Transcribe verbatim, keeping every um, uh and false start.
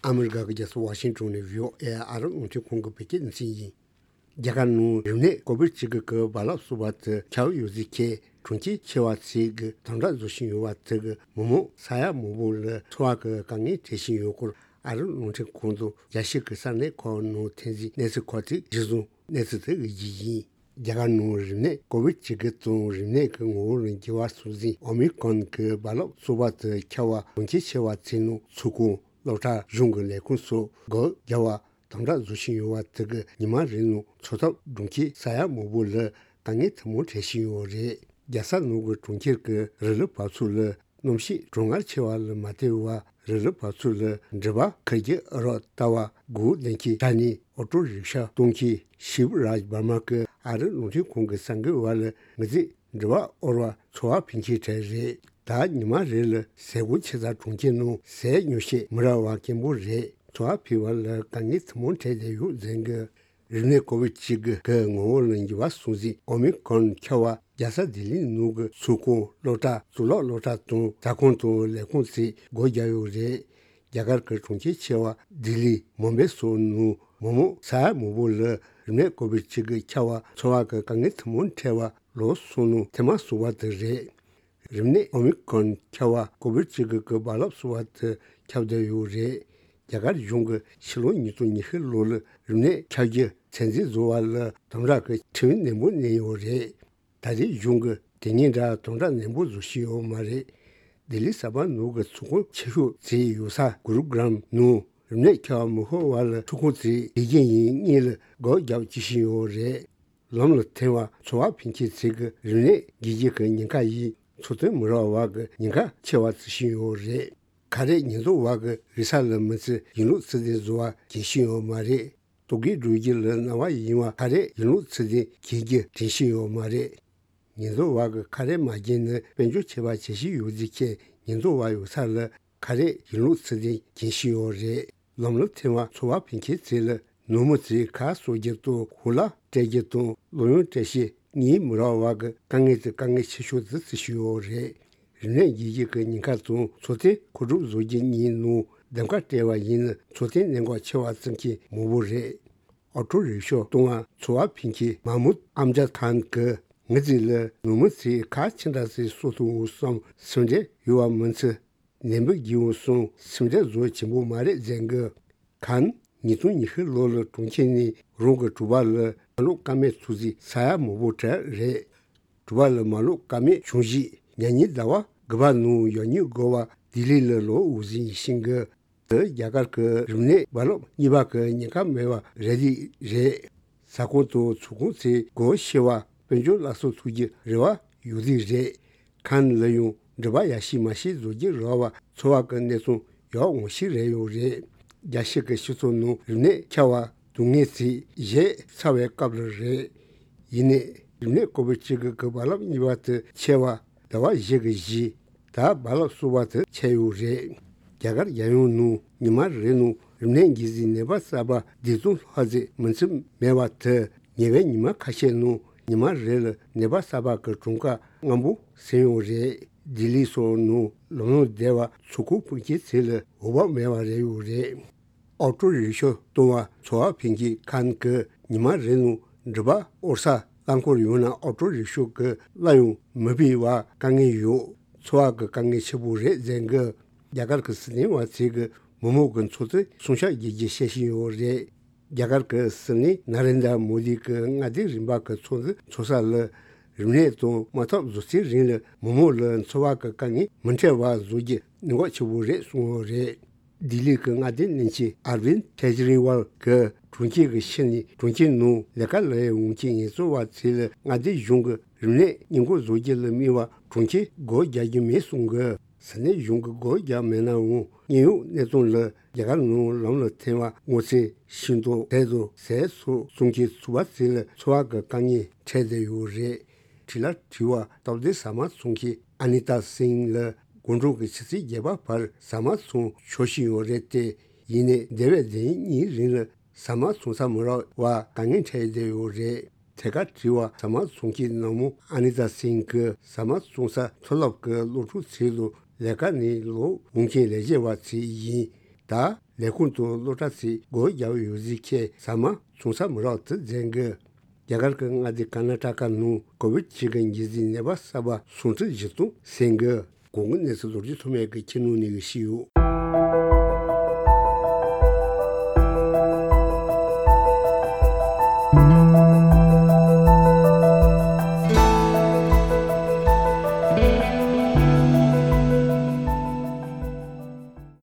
ཨ་མི་རི་ཀ་གི་རྒྱལ་ས་ཝ་ཤིང་ཊོན་ནས་བྷི་ཨོ་ཨེ་ཨ་རི་རླུང་འཕྲིན་ཁང་གི་བོད་སྐད་སྡེ་ཚན་ཡིན། རྒྱ་གར་ནང་རིམས་ནད་ཀོ་བིད་བཅུ་དགུ་གི་རྦ་རླབས་གསར་པ་དེ་ཁྱབ་ཡོད་ཚུལ་ཁྱེད་གྲོང་ཁྱེར་ཆེ་བ་ཚོས་ཀྱི་དམ་དྲག་བཟོ་བཞིན་ཡོད་པ་དེ་གི་མི་མང་ས་ཡ་མང་པོ་ལ་འཚོ་བ་གི་དཀའ་ངལ་འཕྲད་བཞིན་ཡོད་སྐོར་ཨ་རི་རླུང་འཕྲིན་ཁང་དུ་རྒྱལ་སྤྱི་གི་ས་གནས་ཁག་ནང་ཐོན་རྗེས་གནས་ཚུལ་ཁག་ཅིག་གཞིར་བཟུང་གནས་ཚུལ་དེ་གི་རྒྱུ་ཡིན། རྒྱ་གར་ནང་རིམས་ནད་ཀོ་བིད་བཅུ་དགུ་དང་རིམས་ནད་ཀྱི་ངོ་བོ་ལ་འགྱུར་བ་སོང་ཟིན་ཨོ་མི་ཀོན་གྱི་རྦ་རླབས་གསར་པ་དེ་ཁྱབ་པ་གྲོང་ཁྱེར་ཆེ་བ་ཚོའི་ནང་ཚོགས་ཁང་སློབ་གྲྭ་གཞུང་གི་ལས་ཁུངས་སོགས་སྒོ་རྒྱག་པ་དམ་དྲག་བཟོ་བཞིན་ཡོད་པ་དེ་གི་ཉི་མ་རེ་ནང་འཚོ་ཐབས་གྲོང་ཁྱེར་ས་ཡ་མང་པོ་ལ་དཀའ་ངལ་ཐུན་མོང་འཕྲད་བཞིན་ཡོད་རེད། རྒྱལ་ས་ནང་གི་གྲོང་ཁྱེར་གྱི་རི་ལི་བབས་ཚུགས་ལ་གནམ་གཤིས་གྲང་ངར་ཆེ་བ་ལ་མ་བལྟས་པར་རི་ལི་བབས་ཚུགས་ལ་འགྲུལ་པ་ཁུར་རྒྱུག་རོགས་ལྟ་བ་སྒུག་བསྡད་མཁན་དྲ་ནས་ཨོ་ཊོ་རིག་ཤ་གཏོང་མཁན་ཤིབ་རཱཇ་འབར་མ་གི་ཨ་རི་རླུང་འཕྲིན་ཁང་གི་གསར་འགོད་པ་ལ་ངོས་འཛིན་འགྲུལ་པ་དབོར་བ་འཚོ་བ་ཕན་ཆད་གྲས་རེད། ད་ཉི་མ་རེ་ལ་ཟས་གོས་ཆེ་ཙག་གྲོང་ཁྱེར་ནང་ཟས་ཉོ་བྱེད་མི་རག་པ་སྐྱེན་པོ་རེད། འཚོ་བ་ཕལ་བ་ལ་དཀའ་ངལ་ཐུན་མོང་འཕྲད་བསྡད་ཡོད་ཟེར་གི། རིམས་ནད་ཀོ་བིད་བཅུ་དགུ་གི་ངོ་བོ་ལ་འགྱུར་བ་སོང་ཟིན་ཨོ་མི་ཀོན་ཁྱབ་པ་རྒྱལ་ས་ལྡི་ལི་ནང་གི་ཚོགས་ཁང་སློབ་གྲྭ་གཙུག་ལག་སློབ་གྲྭ་དང་ཟ་ཁང་དང་ལས་ཁུངས་ཚོས་སྒོ་རྒྱག་ཡོད་རེད། རྒྱ་གར་གྱི་གྲོང་ཁྱེར་ཆེ་བ་ལྡི་ལི་མུམ་བྷེ་སོགས་ནང་མི་མང་ས་ཡ་མང་པོ་ལ་རིམས་ནད་ཀོ་བིད་བཅུ་དགུ་ཁྱབ་པ་འཚོ་བ་གི་དཀའ་ངལ་ཐུན་མོང་འཕྲད་པ་ལོ་གསུམ་ནང་ཐེངས་མ་གསུམ་པ་དེ་རེད། རིམས་ནད་ཨོ་མི་ཀོན་ཁྱབ་པ་ཀོ་བིད་བཅུ་དགུ་གི་རྦ་རླབས་གསར་པ་དེ་ཁྱབ་བསྡད་ཡོད་རེད། རྒྱ་གར་གཞུང་གིས་ཕྱི་ལོ་ཉིས་སྟོང་ཉི་ཤུ་ལོ་ལ་རིམས་ནད་ཁྱབ་རྒྱུ་ཚོད་འཛིན་བཟོ་བ་ལ་དམ་དྲག་གི་ཁྲིམས་ནན་པོ་བསྣན་ཡོད་རེད། ད་རེས་གཞུང་གིས་དེ་སྔའི་འདྲ་དམ་དྲག་ནན་པོ་བཟོ་བཞིན་ཡོད་མ་རེད། ལྡི་ལི་གསར་པ་ནང་གི་ཚོགས་ཁང་ཆེ་ཤོས་དེ་ཡོད་ས་གུ་རུ་གྲམ་ནང་རིམས་ནད་ཁྱབ་མི་ཤོར་བ་ལ་ཚོགས་ཁང་དེ་དགེ་རྒན་ཡིན་གཉིས་ལ་སྒོ་རྒྱག་བྱེད་བཞིན་ཡོད་རེད། ལམ་ལ་ཐོན་པ་འཚོ་བ་ཕན་ཆད་ཚོས་ཀྱི་རིམས་ནད་འགོས་རྒྱུ་གི་ཉེན་ཁ་ཡིས་འཚོ་རྟེན་མི་རག་པ་གི་ཉེན་ཁ་ཆེ་བ་བརྩི་བཞིན་ཡོད་རེད། ཁ་རས་ཉེན་རྟོག་པ་གི་རིག་ས་ལ་མི་ཚེ་ཡིན་ལུགས་ཚུལ་ལྡན་བཟོ་བ་གལ་ཆེན་ཡོད་མ་རེད། ལྟོ་གོས་སྒྲུག་རྒྱུ་ལ་གནའ་བ་ཡིན་པ་ཁ་རས་ཡིན་ལུགས་ཚུལ་ལྡན་གྱོན་རྒྱུ་དྲན་ཤེས་ཡོད་མ་རེད། ཉེན་རྟོག་པ་གི་ཁ་རས་མ་གྱོན་ན་དཔལ་འབྱོར་ཆད་པ་བྱེད་བཞིན་ཡོད་ཚུལ་མཁྱེན་ཉེན་རྟོག་པ་ཡོད་ས་ལ་ཁ་རས་ཡིན་ལུགས་ཚུལ་ལྡན་གྱོན་བཞིན་ཡོད་རེད། ལམ་ལ་ཐོན་པ་འཚོ་བ་ཕན་ཆད་ཚོས་ལ་ནུབ་མོ་ཚོས་ཁ་གསོ་རྒྱུ་དང་གོ་ལ་སྤྲད་རྒྱུ་དང་གློག་ཡོན་སྤྲད་བྱེད་གཉིས་མི་རག་པ་གི་དཀའ་ངལ་དེ་དཀའ་ངལ་ཆེ་ཤོས་དེ་བརྩི་བཞིན་ཡོད་རེད། རིམས་ནད་འགོས་རྒྱུ་གི་ཉེན་ཁ་དང་འཚོ་རྟེན་མཁོ་སྒྲུབ་བཟོ་རྒྱུ་གཉིས་ནང་འདེམས་ཀ་སྤྲད་པ་ཡིན་ན་འཚོ་རྟེན་གནད་འགག་ཆེ་བ་བརྩི་མཁན་མང་པོ་རེད། ཨོ་ཊོ་རིག་ཤོ་གཏོང་བ་འཚོ་བ་ཕན་ཆད་མ་མུད་ཨམ་ཇད་ཁཱན་གྱིས་ངའི་རྩིས་ལ་ནུབ་མོ་ཚོས་ཁ་ཆེ་འདྲ་ཟིག་གསོ་ཐུབ་འོང་བསམ་སེམས་ཁྲལ་ཡོད་པ་མིན་ཚེ། ནད་འབུ་རྒྱས་འོང་གསུངས་སེམས་ཁྲལ་བཟོ་ཆེན་པོ་མ་རེད་ཟེར་གི། ཁཱན་ཉིས་སྟོང་ཉི་ཤུ་ལོ་ལ་གྲོང་ཁྱེར་ནས་རང་གི་གྲོད་པ་ལ་མ་ལོག་ཀ་མད་ཚུགས་རྗེས་ས་ཡ་མང་པོ་བྲལ་རེད། གྲོད་པ་ལ་མ་ལོག་ཀ་མད་བྱུང་རྗེས་ཉ་ཉིན་ཟླ་བ་དགུ་པ་ནང་ཡང་སྙིང་དགོས་པ་ལྡི་ལི་ལ་ལོག་འོང་ཟིན་ཤིང་གི། དེ་རྒྱ་གར་གྱི་རིམས་ནད་རྦ་རླབས་གཉིས་པ་གི་ཉེན་ཁ་མེད་པ་རེད་དེ་རེད། ཟ་ཁང་དང་ཚོགས་ཁང་ཚོས་སྒོ་ཕྱེ་བ་དཔལ་འབྱོར་སླར་གསོ་ཐུབ་རྒྱུ་རེ་བ་ཡོད་དེ་རེད། ཁཱན་ལ་ཡང་འགྲུལ་པ་ཡར་ཞིག་མར་ཞིག་བཟོ་རྒྱུ་རག་པ་འཚོ་བ་གི་གནས་སྟངས་ཡག་འོང་ཤེས་རེ་ཡོད་རེད། རྒྱལ་སྤྱི་གི་སྤྱི་ཚོགས་ནང་རིམས་ནད་ཁྱབ་པ་སྡུག་བསྔལ་ཚོས་གཞས་ཚར་བའི་སྐབས་ལ་རེད། ཡིན་ནའི་རིམས་ནད་ཀོ་བིད་བཅུ་དགུ་གི་རྦ་རླབས་གཉིས་པ་དེ་ཆད་པ་ཟླ་བ་བཞི་གི་གཞི། ད་རྦ་རླབས་གསར་པ་དེ་ཆད་ཡོད་རེད། རྒྱ་གར་རྒྱལ་ཡོངས་ནང་ཉི་མ་རེ་ནང་རིམས་ནད་འགོས་སའི་ནད་པ་གསར་པ་བདུན་སྟོང་ལྷག་ཙམ་མིན་ཚད་མེད་པ་དེ་ཉེ་བའི་ཉི་མ་ཁ་ཤས་ནང་ཉི་མ་རེ་ལ་ནད་པ་གསར་པ་གི་གྲངས་ཀ་སྔ་པོ་ཟིན་ཡོད་རེད། ལྡི་ལི་སོགས་ནང་ལམ་ལྷོང་བསྡད་པ་ཚོགས་ཁང་སྤུན་མཆེད་ཚོ་ལ་འོས་བབ་མེད་པ་རེད་ཡོད་རེད། ཨོ་ཊོ་རིག་ཤོ་གཏོང་བ་འཚོ་བ་ཕན་ཆད་ཁཱན་གྱིས་ཉི་མ་རེ་ནང་འགྲུལ་པ་དབོར་ས་རླངས་འཁོར་ཡོད་ན་ཨོ་ཊོ་རིག་ཤོ་གི་གླ་ཡང་མི་ཕུལ་བ་དཀའ་ངལ་ཡོད། འཚོ་བ་གི་དཀའ་ངལ་ཆེ་པོ་རེད་ཟེར་གི། རྒྱ་གར་གྱི་སྲིད་བློན་པ་ཚོས་གི་མི་མང་གི་འཚོ་རྟེན་སྲུང་སྐྱོབ་བྱེད་རྒྱུ་བཤད་བཞིན་ཡོད་རེད། རྒྱ་གར་གྱི་སྲིད་བློན་ན་རེན་དྲ་མོ་དི་གི་མངའ་སྡེ་རིམ་པ་གི་ཚོགས་འདུ་འཚོགས་ས་ལ་རིམས་ནད་དང་དམག་འཐབ་བཟོ་ཚེ་རིང་ལ་མི་མང་ལ་འཚོ་བ་གི་དཀའ་ངལ་མི་འཕྲད་པ་བཟོ་རྒྱུ་གནད་འགག་ཆེ་པོ་རེད་གསུངས་ཡོད་རེད། ལྡི་ལི་གི་མངའ་སྡེ་བློན་ཆེན་ཨར་བིན་ཁེ་ཇི་རི་ཝལ་གྱིས་གྲོང་ཁྱེར་གྱི་ཕྱི་ནས་གྲོང་ཁྱེར་ནང་ལས་ཀ་ལས་འོང་མཁན་ངལ་རྩོལ་བ་ཚོ་ལ་མངའ་སྡེ་གཞུང་གིས་རིམས་ནད་སྔོན་འགོག་བཟོ་རྒྱུ་ལ་དམིགས་པ་གྲོང་ཁྱེར་སྒོ་རྒྱག་རྒྱུ་མེད་གསུངས་གི། ས་གནས་གཞུང་གིས་སྒོ་རྒྱག་མེད་ནའང་དངོས་ཡོད་གནས་སྟངས་ལ་རྒྱ་གར་ནང་ལམ་ལ་ཐོན་པ་སྔོ་ཚལ་ཤིང་ཏོག་དེ་དང་ཟས་སོགས་བཙོང་མཁན་ཚོ་བ་ཚོ་ལ་འཚོ་བ་གི་དཀའ་ངལ་འཕྲད་བསྡད་ཡོད་རེད། བྲེལ་ལ་བྲེལ་བ་སྟབས་བདེ་ཟ་མ་བཙོང་མཁན་ཨ་ནི་ཏཱ་སིང་ལ་དགོང་དྲོ་གི་ཆུ་ཚོད་བརྒྱད་པ་བར་ཟ་མ་བཙོང་ཆོག་བཞིན་ཡོད་རེད་དེ། ཡིན་ནའི་འདས་པའི་ཟླ་གཉིས་རིང་ལ་ཟ་མ་བཙོང་ས་མི་རག་པ་དཀའ་ངལ་འཕྲད་བསྡད་ཡོད་རེད། ཐད་ཀར་དྲི་བ་ཟ་མ་བཙོང་མཁན་ནང་མོ་ཨ་ནི་ཏཱ་སིང་གིས་ཟ་མ་བཙོང་ས་མཐོ་སློབ་ཀྱི་སློབ་ཕྲུག་ཚོ་དང་ལས་ཀ་ནས་ལོག་འོང་མཁན་ལས་བྱེད་པ་ཚོ་ཡིན། ད་ ལས་ཁུངས་དང་སློབ་གྲྭ་ཚོས་སྒོ་རྒྱག་ཡོད་ཟེར་ཁྱེད་ཟ་མ་ཚོང་ས་མི་རག་ཚུལ་མཛད་འགོ། རྒྱ་གར་གྱི་མངའ་སྡེ་ཀར་ན་ཊ་ཀ་ནང་ཀོ་ཝིཌ་བཅུ་གི་འགོས་ཟས་ནད་པ་གསར་པ་སུམ་ཁྲི་བཞི་སྟོང་ཟིན་འགོ། གོང་གི་གནས་ཚུལ་ལོ་རྒྱུས་ཐོག་མེད་ཀྱི་ཁྱེད་ནང་ནས་ཞུས་ཡོད།